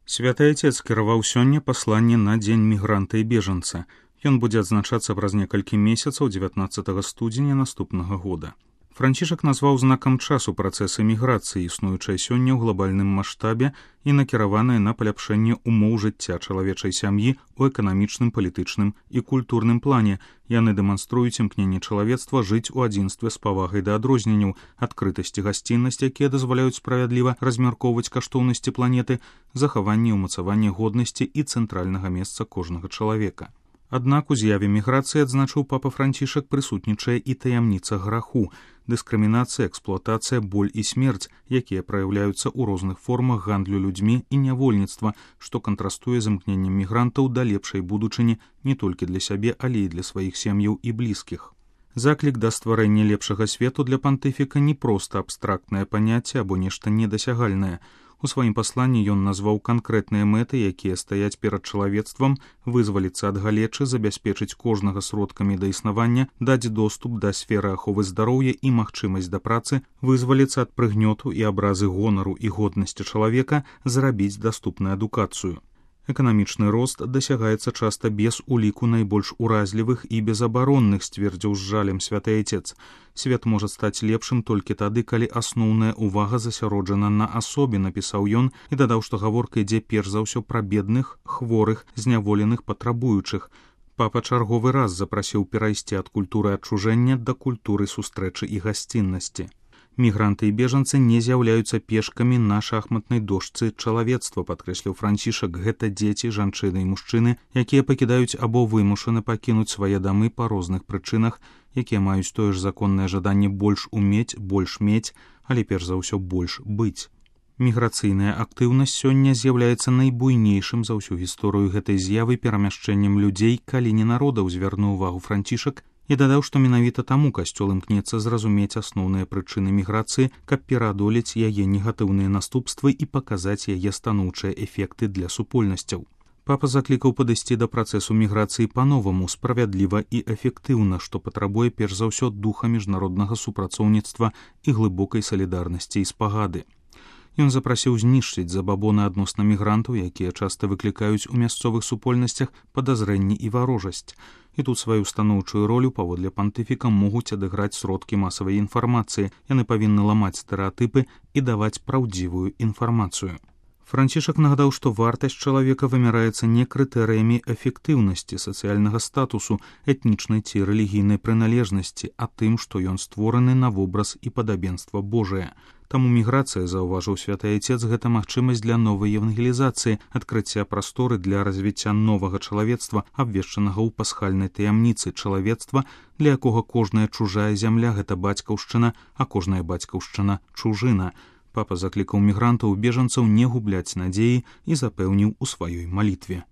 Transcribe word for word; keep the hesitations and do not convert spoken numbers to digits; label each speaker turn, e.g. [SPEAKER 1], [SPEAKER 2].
[SPEAKER 1] Святы Отец кіраваў сёння пасланне на дзень мігранта і бежанца. Ён будзе адзначацца праз некалькі месяцаў дзевятнаццатага студзеня наступнага года. Францішак назваў знакам часу працэсы міграцыі, існуючай сёння ў глобальным маштабе і накіраваныя на паляпшэнне умоў жыцця чалавечай сям'і ў эканамічным, палітычным і культурным плане. Яны дэманструюць імкненне чалавецтва жыць у адзінстве з павагай да адрозненняў, адкрытасці, гасціннасць, якія дазваляюць справядліва размяркоўваць каштоўнасці планеты, захаванне і ўмацаванне годнасці і цэнтральнага месца кожнага чалавека. Аднак у з'яве міграцыі, адзначыў папа Францішак, прысутнічае і таямніца граху, дыскрымінацыя, эксплуатацыя, боль і смерць, якія праяўляюцца ў розных формах гандлю людзьмі і нявольніцтва, што кантрастуе з імкненнем мігрантаў да лепшай будучыні не толькі для сябе, але і для сваіх сем'яў і блізкіх. Заклік да стварэння лепшага свету для пантыфіка не проста абстрактнае паняцце або нешта недасягальнае. У сваім пасланні ён назваў канкрэтныя мэты, якія стаяць перад чалавецтвам, вызваліцца ад галечы, забяспечыць кожнага сродкамі да існавання, даць доступ да сферы аховы здароўя і магчымасць да працы, вызваліцца ад прыгнёту і абразы гонару і годнасці чалавека, зрабіць даступную адукацыю. Эканамічны рост дасягаецца часта без уліку найбольш уразлівых і безабаронных, сцвердзіў з жалем святы Отец. Свет можа стаць лепшым толькі тады, калі асноўная ўвага засяроджана на асобе, напісаў ён і дадаў, што гаворка ідзе перш за ўсё пра бедных, хворых, зняволеных, патрабуючых. Папа чарговы раз запрасіў перайсці ад культуры адчужэння да культуры сустрэчы і гасціннасці. Мігранты і бежанцы не з'яўляюцца пешкамі на шахматнай дошцы чалавецтва, падкрэсліў Францішак. Гэта дзеці, жанчыны і мужчыны, якія пакідаюць або вымушаны пакінуць свае дамы па розных прычынах, якія маюць тое ж законнае жаданне больш умець, больш мець, але перш за ўсё больш быць. Міграцыйная актыўнасць сёння з'яўляецца найбуйнейшым за ўсю гісторыю гэтай з'явы перамяшчэннем людзей, калі не народаў, звярнуў увагу Францішак, і дадаў, што менавіта таму касцёл імкнецца зразумець асноўныя прычыны міграцыі, каб пераадолець яе негатыўныя наступствы і паказаць яе станоўчыя эфекты для супольнасцяў. Папа заклікаў падысці да працэсу міграцыі па-новаму, справядліва і эфектыўна, што патрабуе перш за ўсё духа міжнароднага супрацоўніцтва і глыбокай салідарнасці і спагады. Ён запрасіў знішчыць забабоны адносна мігрантаў, якія часта выклікаюць у мясцовых супольнасцях падазрэнні і варожасць. І тут сваю станоўчую ролю паводле пантыфіка могуць адыграць сродкі масавай інфармацыі. Яны павінны ламаць стэрэатыпы і даваць праўдзівую інфармацыю. Францішак нагадаў, што вартасць чалавека вымяраецца не крытэрыямі эфектыўнасці, сацыяльнага статусу, этнічнай ці рэлігійнай прыналежнасці, а тым, што ён створаны на вобраз і падабенства Божае. Таму міграцыя, заўважыў святы Отец, гэта магчымасць для новай евангелізацыі, адкрыцця прасторы для развіцця новага чалавецтва, абвешчанага ў пасхальнай таямніцы чалавецтва, для якога кожная чужая зямля — гэта бацькаўшчына, а кожная бацькаўшчына — чужына. Папа заклікаў мігрантаў і бежанцаў не губляць надзеі і запэўніў у сваёй малітве.